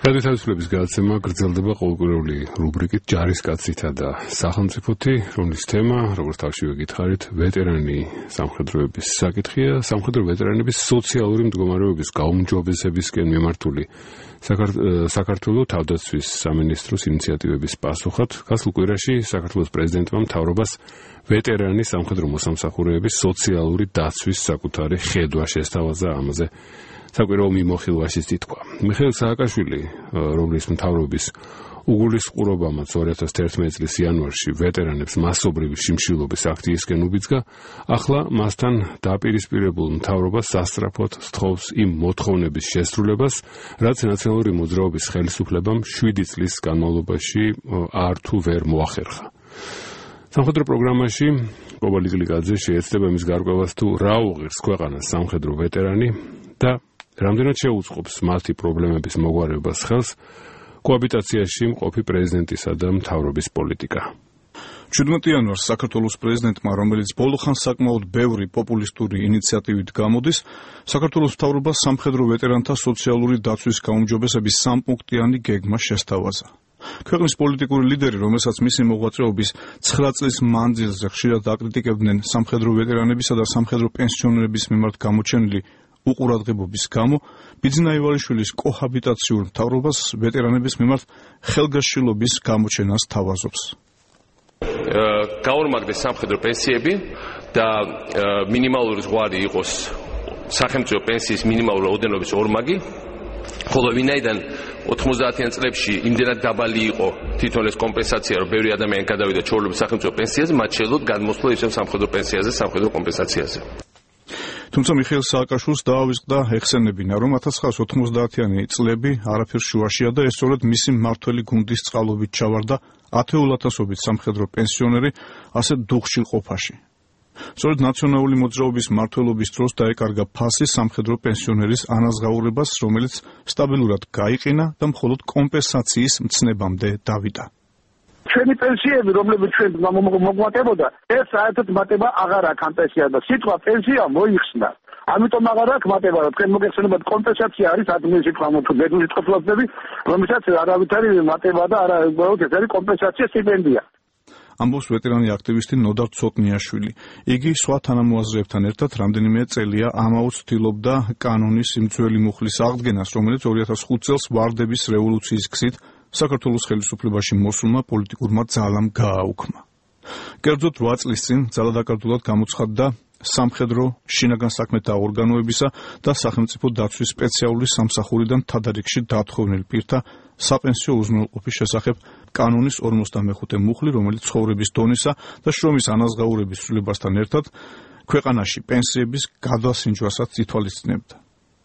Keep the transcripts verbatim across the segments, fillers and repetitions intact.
რადიო თავისუფლების გადაცემა გრძელდება ყოველკვირეული რუბრიკით ჯარისკაცითა და სახელმწიფოთი, რომლის თემა, როგორც თავშივე გითხარით, ვეტერანი სამხედროების საკითხია, სამხედრო ვეტერანების სოციალური მდგომარეობის გაუმჯობესებისკენ მიმართული საქართველოს თავდაცვის სამინისტროს ინიციატივების პასუხად, გასულ კვირაში საქართველოს პრეზიდენტმა მთავრობას ვეტერანი სამხედრო მოსამსახურეების სოციალური დაცვის საკუთარი ხედვა შესთავაზა ამაზე. საკვირაო მიმოხილვაშიც ითქვა. მიხეილ სააკაშვილი, რომლის მთავრობის უგულისხმობამაც ორი ათას თერთმეტი წლის იანვარში ვეტერანებს მასობრივი შიმშილობის აქციისკენ უბიძგა, ახლა მასთან დაპირისპირებულ მთავრობას სასწრაფოდ სთხოვს იმ მოთხოვნების შესრულებას, რაც ნაციონალური მოძრაობის ხელისუფლებამ შვიდი წლის განმავლობაში არ თუ ვერ მოახერხა. სამხედრო პროგრამაში კობალი გლიკაძე შეეცდება მის გარკვევას თუ რა უღირს ქვეყანას სამხედრო ვეტერანი და რამდენად შეუწყობს მათი პრობლემების მოგვარებას ხელს კოაბიტაციაში მყოფი პრეზიდენტისა და მთავრობის პოლიტიკა. შვიდმეტი იანვარს საქართველოს პრეზიდენტმა, რომელიც ბოლოხანს საკმაოდ ბევრი პოპულისტური ინიციატივით გამოდის, საქართველოს მთავრობას სამხედრო ვეტერანთა სოციალური დაცვის გაუმჯობესების სამპუნქტიანი გეგმა შესთავაზა. ქვეყნის პოლიტიკური ლიდერი, რომელსაც მისი მოღვაწეობის ცხრა წლის მანძილზე ხშირად აკრიტიკებდნენ სამხედრო ვეტერანებისა და სამხედრო პენსიონერების მიმართ გამოჩენილი უყურადღებობის გამო, ბიძინა ივალიშვილის კოჰაბიტაციურ მთავრობას ვეტერანების მიმართ ხელგაშლილობის გამოჩენას თავაზობს. გაორმაგდეს სამხედრო პენსიები და მინიმალური ზღვარი იყოს სახელმწიფო პენსიის მინიმალური რაოდენობის ორმაგი, ხოლო ვინაიდან ოთხმოცდაათიან წლებში იმდენად დაბალი იყო თვითონ ეს კომპენსაცია, რომ ბევრი ადამიანი გადავიდა ჩვეულებრივ სახელმწიფო პენსიაზე, მათ შეძლოთ გადმოსვლა ისევ სამხედრო პენსიაზე, სამხედრო კომპენსაციაზე. თუმცა მიხეილ სააკაშვილს დაავიწყდა ეხსენებინა, რომ ათას ცხრაასი ოთხმოცდაათიანი წლები არაფერ შუაშია და ეს სწორედ მისი მმართველი გუნდის წყალობით ჩავარდა ათეულათასობით სამხედრო პენსიონერი ასეთ დუხშილ ყოფაში. სწორედ ნაციონალური მოძრაობის მმართველობის დროს დაეკარგა ფასი სამხედრო პენსიონერის ანაზღაურებას, რომელიც სტაბილურად გაიყინა და მხოლოდ კომპენსაციის მცნებამდე დავიდა. ჩვენი პენსიები, რომლებიც ჩვენ მოგვატებოდა, ეს საერთოდ მატება აღარ აქვს ამ პენსიას და სიტყვა პენსია მოიხსნა. ამიტომ აღარ აქვს მატება, რომ თქვენ მოგეხსენებათ კომპენსაცია არის ადმინ სიტყვა თუ ბედური წყობლები, რომელსაც არავითარი მატება და არა უბრალოდ ეს არის კომპენსაცია სტიპენდია. ამბობს ვეტერანი აქტივისტი ნოდარ ცოტნიაშვილი. იგი სხვა თანამოაზრეებთან ერთად რამდენიმე წელია ამაოდ ცდილობდა კანონის იმ ძველი მუხლის აღდგენას, რომელიც ორი ათას ხუთი წელს ვარდების რევოლუციის გზით საქართველოს ხელისუფლებაში მოსულმა პოლიტიკურმა ძალამ გააუქმა. კერძოდ რვა წლის წინ ძალადაკარდულად გამოცხადდა სამხედრო შინაგან საქმეთა ორგანოებისა და სახელმწიფო დაცვის სპეციალური სამსახურიდან თადარიგში დათხოვნილ პირთა საპენსიო უზრუნველყოფის შესახებ კანონის ორმოცდამეხუთე მუხლი, რომელიც ცხოვრების დონისა და შრომის ანაზღაურების ცვლილებასთან ერთად ქვეყანაში პენსიების გადასინჯვასაც ითვალისწინებდა.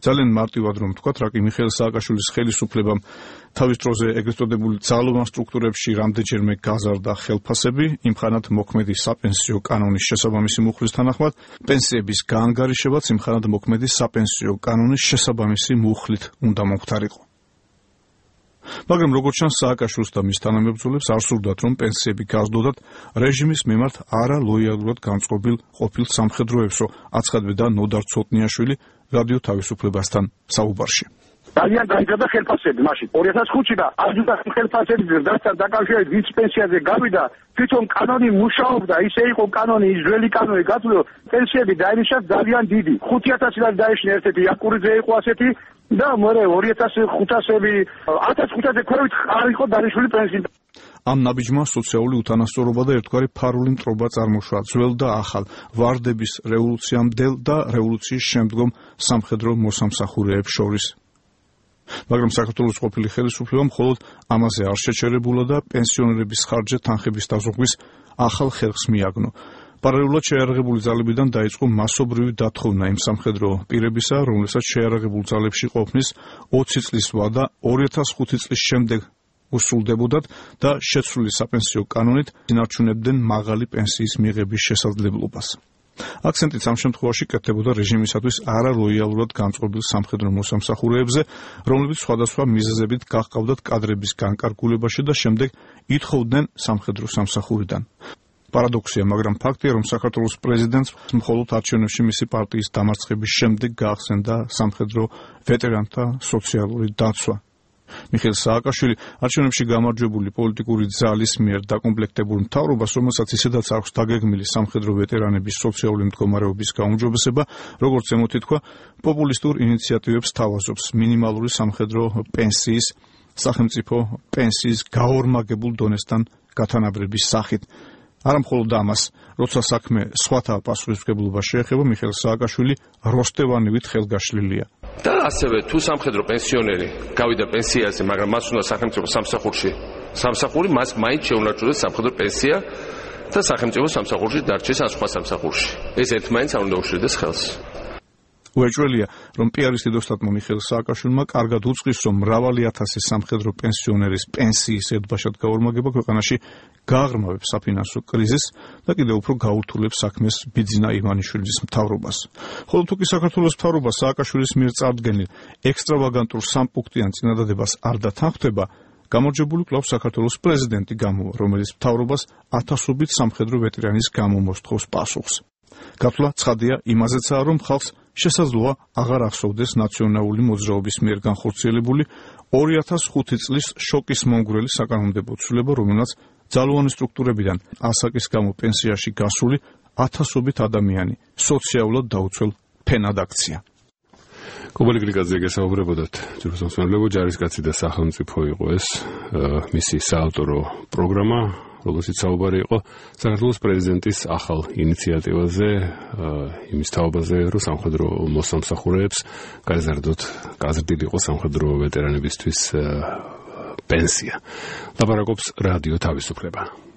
ძალიან მარტივად რომ ვთქვათ, რაკი მიხეილ სააკაშვილის ხელისუფლებამ თავის დროზე ეგრეთ წოდებული ძალოვან სტრუქტურებში რამდენჯერმე გაზარდა ხელფასები, იმხანად მოქმედი საპენსიო კანონის შესაბამისი მუხლის თანახმად, პენსიების გაანგარიშებაც იმხანად მოქმედი საპენსიო კანონის შესაბამისი მუხლით უნდა მომხდარიყო. მაგრამ როგორც ჩანს, სააკაშვილს და მის თანამებრძოლებს არ სურდათ, რომ პენსიები გაზრდოდათ რეჟიმის მიმართ არალოიალურად განწყობილ ყოფილ სამხედროებსო, აცხადებდა ნოდარ ცოტნიაშვილი რადიო თავისუფლებასთან საუბარში. ძალიან გაიზარდა ხელფასები მაშინ. ორი ათას ხუთში და ადიუტანტი ხელფასების დასთან დაკავშირებით ვინც პენსიაზე გავიდა, თვითონ კანონი მუშაობდა, ისე იყო კანონი, ის ძველი კანონი გაწვდო, პენსიები დაინიშნა ძალიან დიდი. ხუთი ათასი და დაიშნა ერთ-ერთი იაკურიძე იყო ასეთი და მერე ორი ათას ხუთასები, ათას ხუთასზე ქვევით არ იყო დანიშნული პენსია. ამ ნაბიჯმა სოციალური უთანასწორობა და ერთგვარი ფარული მტრობა წარმოშვა ძველ და ახალ ვარდების რევოლუციამდელ და რევოლუციის შემდგომ სამხედრო მოსამსახურეებს შორის. მაგრამ საქართველოს ყოფილი ხელისუფლება მხოლოდ ამაზე არ შეჩერებულა და პენსიონერების ხარჯზე თანხების დაზოგვის ახალ ხერხს მიაგნო. პარალელურად შეიარაღებული ძალებიდან დაიწყო მასობრივი დათხოვნა იმ სამხედრო პირებისა, რომლებსაც შეიარაღებულ ძალებში ყოფნის ოცი წლის ვადა ორი ათას ხუთი წლის შემდეგ უსრულდებოდათ და შეცვლილი საპენსიო კანონით ინარჩუნებდნენ მაღალი პენსიის მიღების შესაძლებლობას. აქცენტიც ამ შემთხვევაში კეთდებოდა რეჟიმისათვის არალოიალურად განწყობილ სამხედრო მოსამსახურეებზე, რომლებიც სხვადასხვა მიზეზებით გაჰყავდათ კადრების განკარგულებაში და შემდეგ ითხოვდნენ სამხედრო სამსახურიდან. პარადოქსია, მაგრამ ფაქტია, რომ საქართველოს პრეზიდენტს მხოლოდ არჩევნებში მისი პარტიის დამარცხების შემდეგ გაახსენდა სამხედრო ვეტერანთა სოციალური დაცვა. მიხეილ სააკაშვილი არჩევნებში გამარჯვებული პოლიტიკური ძალის მიერ დაკომპლექტებულ მთავრობას, რომელსაც ისედაც აქვს დაგეგმილი სამხედრო ვეტერანების სოციალური მდგომარეობის გაუმჯობესება, როგორც ზემოთ ითქვა, პოპულისტურ ინიციატივებს თავაზობს მინიმალური სამხედრო პენსიის, სახელმწიფო პენსიის გაორმაგებულ დონესთან გათანაბრების სახით. არა მხოლოდ ამას, როცა საქმე სხვათა პასუხისმგებლობას შეეხება, მიხეილ სააკაშვილი როსტევანივით ხელგაშლილია. და ასევე თუ სამხედრო პენსიონერი გავიდა პენსიაზე, მაგრამ მას უნდა სახელმწიფო სამსახურში სამსახური, მას მაინც შეუნარჩუნდეს სამხედრო პენსია და სახელმწიფო სამსახურში დარჩეს ან სხვა სამსახურში. ეს ერთმანეთს არ უნდა უშლიდეს ხელს. უეჭველია, რომ პიარის დიდოსტატმა მიხეილ სააკაშვილმა კარგად უწყის, რომ მრავალი ათასი სამხედრო პენსიონერის პენსიის ედბაშად გაორმაგება ქვეყანაში გააღრმავებს საფინანსო კრიზისს და კიდევ უფრო გაურთულებს საქმეს ბიძინა ივანიშვილის მთავრობას. ხოლო თუ კი საქართველოს მთავრობა სააკაშვილის მიერ წარდგენილ ექსტრავაგანტურ სამპუნქტიან წინადადებას არ დათანხმდება, გამარჯვებული კვლავ საქართველოს პრეზიდენტი გამოვა, რომელიც მთავრობას ათასობით სამხედრო ვეტერანის გამომოსთხოვს პასუხს. გათვლა ცხადია იმაზეცაა, რომ ხალხს შესაძლოა აღარ ახსოვდეს ნაციონალური მოძრაობის მიერ განხორციელებული ორი ათას ხუთი წლის შოკის მომგვრელი საკანონმდებლო ცვლილება, რომელსაც ძალოვანი სტრუქტურებიდან ასაკის გამო პენსიაში გასული ათასობით ადამიანი სოციალურად დაუცველ ფენად აქცია. კობალი გრიგაძე გესაუბრებოდათ ჯგუფის მსმენელებო, ჯარისკაცი და სახელმწიფო იყო ეს მისი საავტორო პროგრამა, რომელშიც საუბარი იყო საქართველოს პრეზიდენტის ახალ ინიციატივაზე, იმის თაობაზე, რომ სამხედრო მოსამსახურეებს გაეზარდოთ გაზრდილიყო სამხედრო ვეტერანებისთვის პენსია. ლაპარაკობს რადიო თავისუფლება.